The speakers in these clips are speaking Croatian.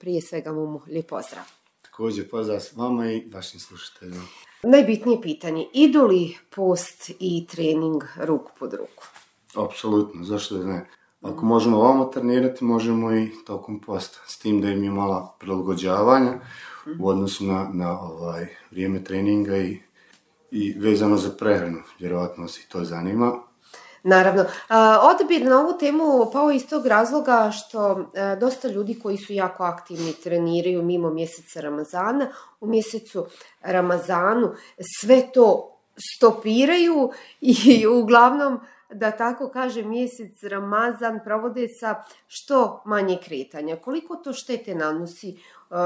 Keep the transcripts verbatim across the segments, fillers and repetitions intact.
prije svega mu lijep pozdrav. Također pozdrav s vama i vašim slušateljima. Najbitnije pitanje, idu li post i trening ruku pod ruku? Apsolutno, zašto da ne? Ako možemo ovamo trenirati, možemo i tokom posta, s tim da im je mala prilagođavanja u odnosu na, na ovaj, vrijeme treninga i, i vezano za prehranu, vjerojatno se to zanima. Naravno. Odabir na ovu temu pao iz tog razloga što dosta ljudi koji su jako aktivni treniraju mimo mjeseca Ramazana, u mjesecu Ramazanu sve to stopiraju i uglavnom, da tako kaže, mjesec Ramazan provode sa što manje kretanja. Koliko to štete nanosi uh,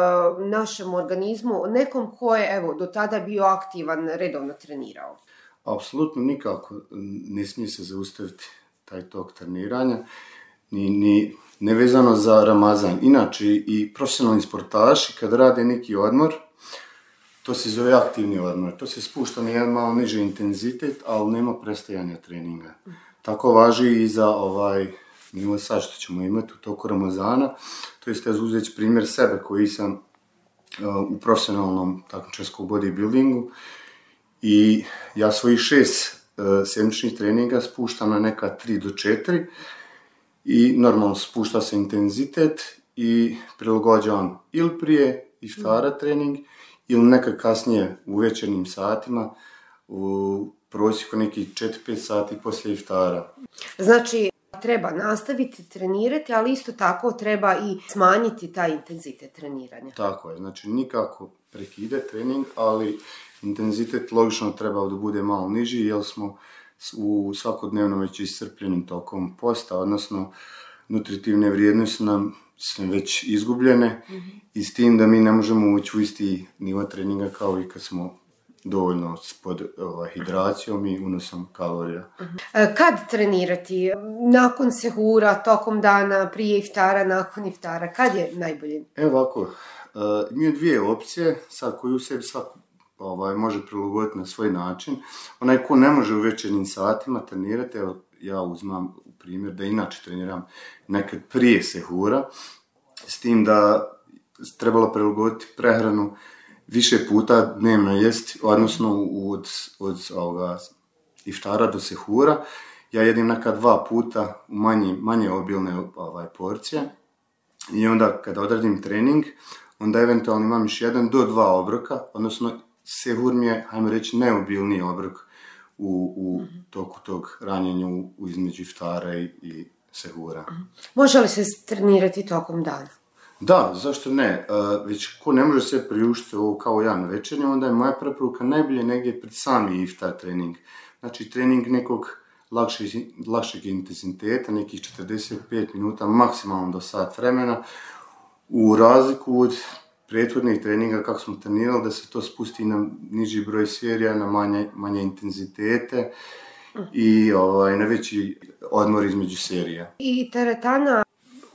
našem organizmu, nekom ko je evo, do tada bio aktivan, redovno trenirao? Apsolutno nikako ne smije se zaustaviti taj tok treniranja, ni, ni nevezano za Ramazan. Inače i profesionalni sportaši kad rade neki odmor, to se zove aktivni odmor. To se spušta na jedan malo niži intenzitet, ali nema prestajanja treninga. Tako važi i za ovaj nivo sad što ćemo imati u toku Ramazana. To jest, ja uzeti primjer sebe koji sam uh, u profesionalnom takmičarskom bodybuildingu i ja svojih šest uh, sedmičnih treninga spuštam na neka tri do četiri i normalno spušta se intenzitet i prilagođavam ili prije iftara trening ili nekad kasnije u večernjim satima, u prosjeku nekih četiri do pet sati poslije iftara. Znači, treba nastaviti trenirati, ali isto tako treba i smanjiti taj intenzitet treniranja. Tako je, znači nikako prekide trening, ali intenzitet logično treba da bude malo niži, jer smo u svakodnevnom već iscrpljenim tokom posta, odnosno nutritivne vrijednosti nam su već izgubljene mm-hmm. i s tim da mi ne možemo ući u isti nivo treninga kao i kad smo dovoljno pod ovaj, hidracijom i unosom kalorija. Mm-hmm. Kad trenirati? Nakon sehura, tokom dana, prije iftara, nakon iftara? Kad je najbolje? Evo ovako, uh, imaju dvije opcije, sad koju u sebi svako ovaj, može prilagoditi na svoj način. Onaj ko ne može u večernjim satima trenirati, evo ja uzmam u primjer da inače treniram nekad prije sehura, s tim da trebalo prilagoditi prehranu više puta dnevno jesti, odnosno od, od ovoga, iftara do sehura. Ja jedim nekad dva puta u manje, manje obilne ovaj, porcije i onda kada odradim trening, onda eventualno imam još jedan do dva obroka, odnosno sehur mi je, hajmo reći, neobilniji obrok u, u toku tog ranjenja u, u između iftara i, i sehura. Može li se trenirati tokom dana? Da, zašto ne? Uh, već ko ne može se priuštiti ovo kao ja na večernju, onda je moja preporuka najbolje negdje pred sami iftar trening. Znači trening nekog lakšeg, lakšeg intenziteta, nekih četrdeset pet minuta, maksimalno do sat vremena, u razliku od prethodnih treninga kako smo trenirali, da se to spusti na niži broj serija, na manje, manje intenzitete i ovaj, na veći odmor između serija. I teretana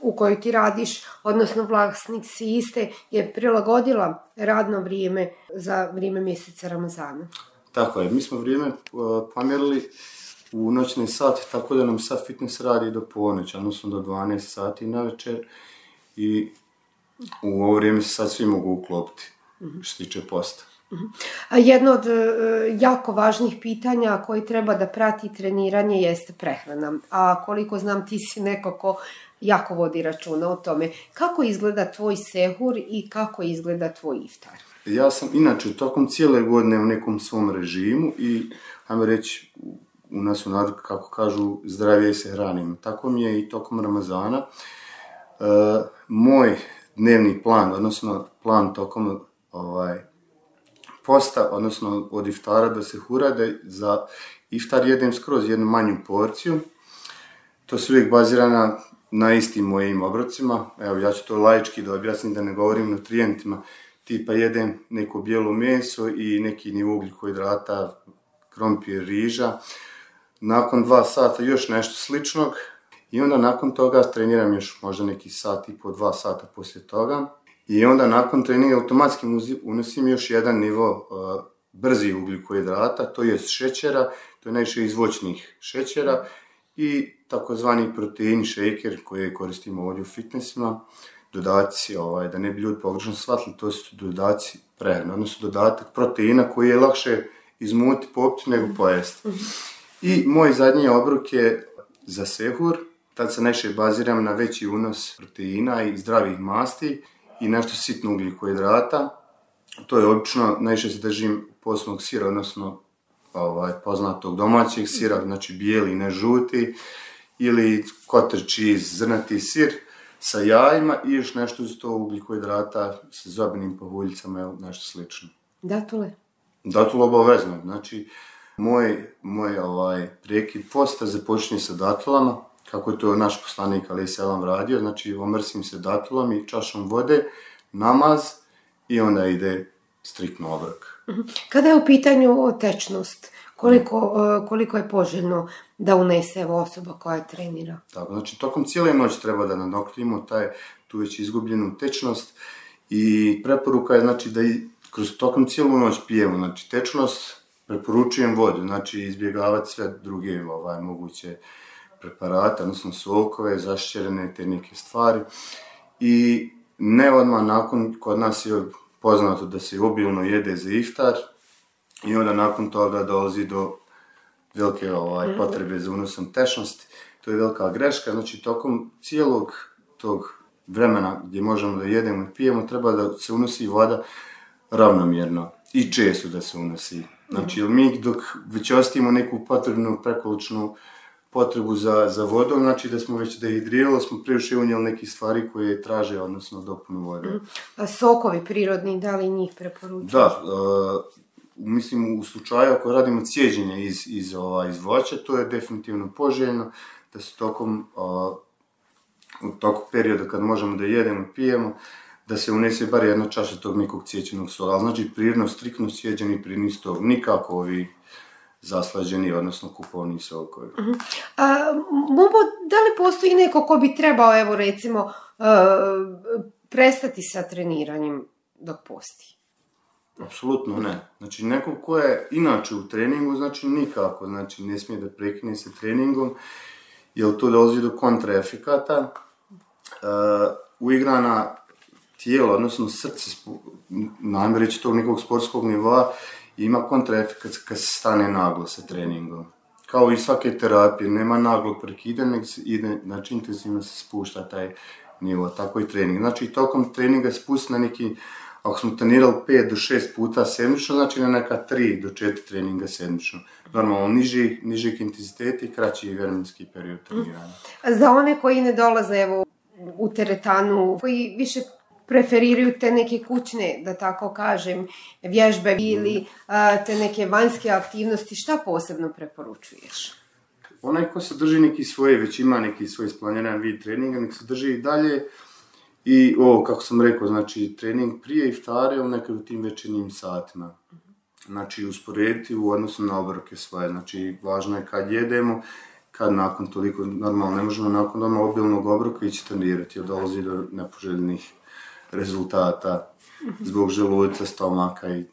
u kojoj ti radiš, odnosno vlasnik si iste, je prilagodila radno vrijeme za vrijeme mjeseca Ramazana. Tako je, mi smo vrijeme uh, pomjerili u noćne sate, tako da nam sad fitness radi do ponoći, odnosno do dvanaest sati na večer i u ovo vrijeme se sad svi mogu uklopiti, mm-hmm. što se tiče posta. Mm-hmm. Jedno od uh, jako važnih pitanja koji treba da prati treniranje jeste prehrana. A koliko znam, ti si neko ko jako vodi računa o tome. Kako izgleda tvoj sehur i kako izgleda tvoj iftar? Ja sam inače tokom cijele godine u nekom svom režimu i, ajmo reći, u nas u narodu, kako kažu, zdravije se hranim. Tako mi je i tokom Ramazana. Uh, moj dnevni plan, odnosno plan tokom ovaj, posta, odnosno od iftara do sehura, da za iftar jedem skroz jednu manju porciju. To se uvijek bazira na, na istim mojim obrocima. Evo, ja ću to laički da objasnim, da ne govorim nutrijentima. Tipa jedem neko bijelo meso i neki nivo ugljikohidrata, krompir, riža. Nakon dva sata još nešto sličnog. I onda nakon toga treniram još možda neki sat i po dva sata poslije toga. I onda nakon treninga automatski unosim još jedan nivo uh, brzi ugljikohidrata, to je šećera, to je najviše iz voćnih šećera i takozvani protein shaker koje koristimo ovdje u fitnessima. dodaci, ovaj, da ne bi ljudi pogrešno shvatili, to su dodaci prehrane, odnosno dodatak proteina koji je lakše izmuti, popiti nego pojesti. I moj zadnji obrok je za sehur, tad se najviše baziram na veći unos proteina i zdravih masti i nešto sitno ugljikohidrata. To je obično, najviše se držim posnog sira, odnosno ovaj, poznatog domaćeg sira, znači bijeli, ne žuti, ili cottage cheese, zrnati sir sa jajima i još nešto uz to ugljikohidrata sa zobinim pahuljicama ili nešto slično. Datule? Datule obavezno, znači moj, moj ovaj, prekid posta započinje sa datulama, kako je to naš poslanik alejhi selam radio, znači omrsim se datulom i čašom vode, namaz i onda ide striktno obrok. Kada je u pitanju tečnost, koliko, koliko je poželjno da unese evo osoba koja trenira? Tako, znači tokom cijele noći treba da nadoknimo taj, tu već izgubljenu tečnost i preporuka je znači da i kroz tokom cijelu noć pijemo, znači tečnost, preporučujem vodu, znači izbjegavati sve druge ovaj, moguće preparate, odnosno sokove, zašćerene, te neke stvari. I ne odmah nakon, kod nas je poznato da se obilno jede za iftar i onda nakon toga dolazi do velike ovaj, potrebe za unosom tečnosti. To je velika greška, znači tokom cijelog tog vremena gdje možemo da jedemo i pijemo treba da se unosi voda ravnomjerno i često da se unosi. Znači, mi dok već ostavimo neku potrebnu prekoličnu potrebu za, za vodom, znači da smo već dehidrirali, smo previše unijeli neke stvari koje traže, odnosno dopunu vode. A sokovi prirodni, da li njih preporučuješ? Da, uh, mislim u slučaju ako radimo cijeđenje iz, iz, ova, iz voća, to je definitivno poželjno da se tokom, uh, u toku perioda kad možemo da jedemo i pijemo, da se unese bar jedna čaša tog nekog cijećenog sola. Ali znači prirodno, striktno cijeđeni prirodni sol, nikako ovi zaslađeni, odnosno kupovni sokovi. Uh-huh. A, Mubo, da li postoji neko ko bi trebao, evo recimo, uh, prestati sa treniranjem dok posti? Apsolutno ne. Znači neko ko je inače u treningu, znači nikako, znači ne smije da prekine sa treningom, jer to dolazi do kontraefekata. Uh, uigrana tijelo, odnosno srce, najme reći tog nekog sportskog nivoa, ima kontraefekat kad se stane naglo sa treningom. Kao i svake terapije, nema naglog prekidanja, nego se ide, znači intenzivno se spušta taj nivo, tako i trening. Znači tokom treninga spusti na neki, ako smo trenirali pet do šest puta sedmično, znači na neka tri do četiri treninga sedmično. Normalno niži, nižeg intenziteta i kraći vremenski period treniranja. Za one koji ne dolaze evo, u teretanu, koji više preferiraju te neke kućne, da tako kažem, vježbe ili a, te neke vanjske aktivnosti, šta posebno preporučuješ? Onaj ko se drži neki svoje, već ima neki svoj isplaniran vid treninga, nek se drži i dalje. I ovo, kako sam rekao, znači trening prije iftara ili nekad u tim večernjim satima. Znači usporediti u odnosu na obroke svoje, znači važno je kad jedemo, kad nakon toliko, normalno ne možemo nakon doma obilnog obroka ići trenirati, jer dolazi do nepoželjnih rezultata zbog želuca, stomaka i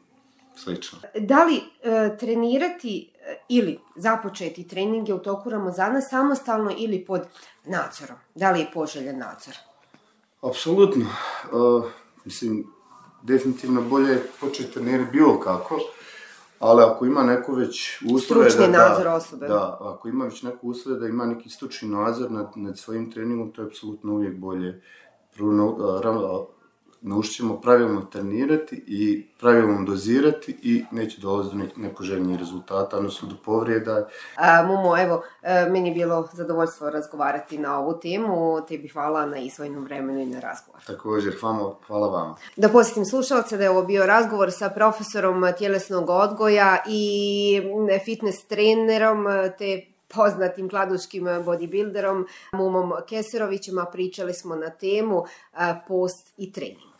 slično. Da li e, trenirati e, ili započeti treninge u toku Ramazana samostalno ili pod nadzorom? Da li je poželjen nadzor? Apsolutno. Uh, mislim, definitivno bolje je početi trenirati bilo kako, ali ako ima neko već uslove stručni da, nadzor osobe. Da, ako ima već neko uslove da ima neki stručni nadzor nad, nad svojim treningom, to je apsolutno uvijek bolje. Prvo, naučit ćemo pravilno trenirati i pravilno dozirati i neće dolaziti do nepoželjnih rezultata, odnosno do povrijeda. A, Mumo, evo, meni je bilo zadovoljstvo razgovarati na ovu temu, tebi hvala na izdvojenom vremenu i na razgovor. Također, hvala, hvala vama. Da podsjetim slušalce da je ovo bio razgovor sa profesorom tjelesnog odgoja i fitness trenerom te poznatim kladuškim bodybuilderom Mumom Keserovićem, a pričali smo na temu post i trening.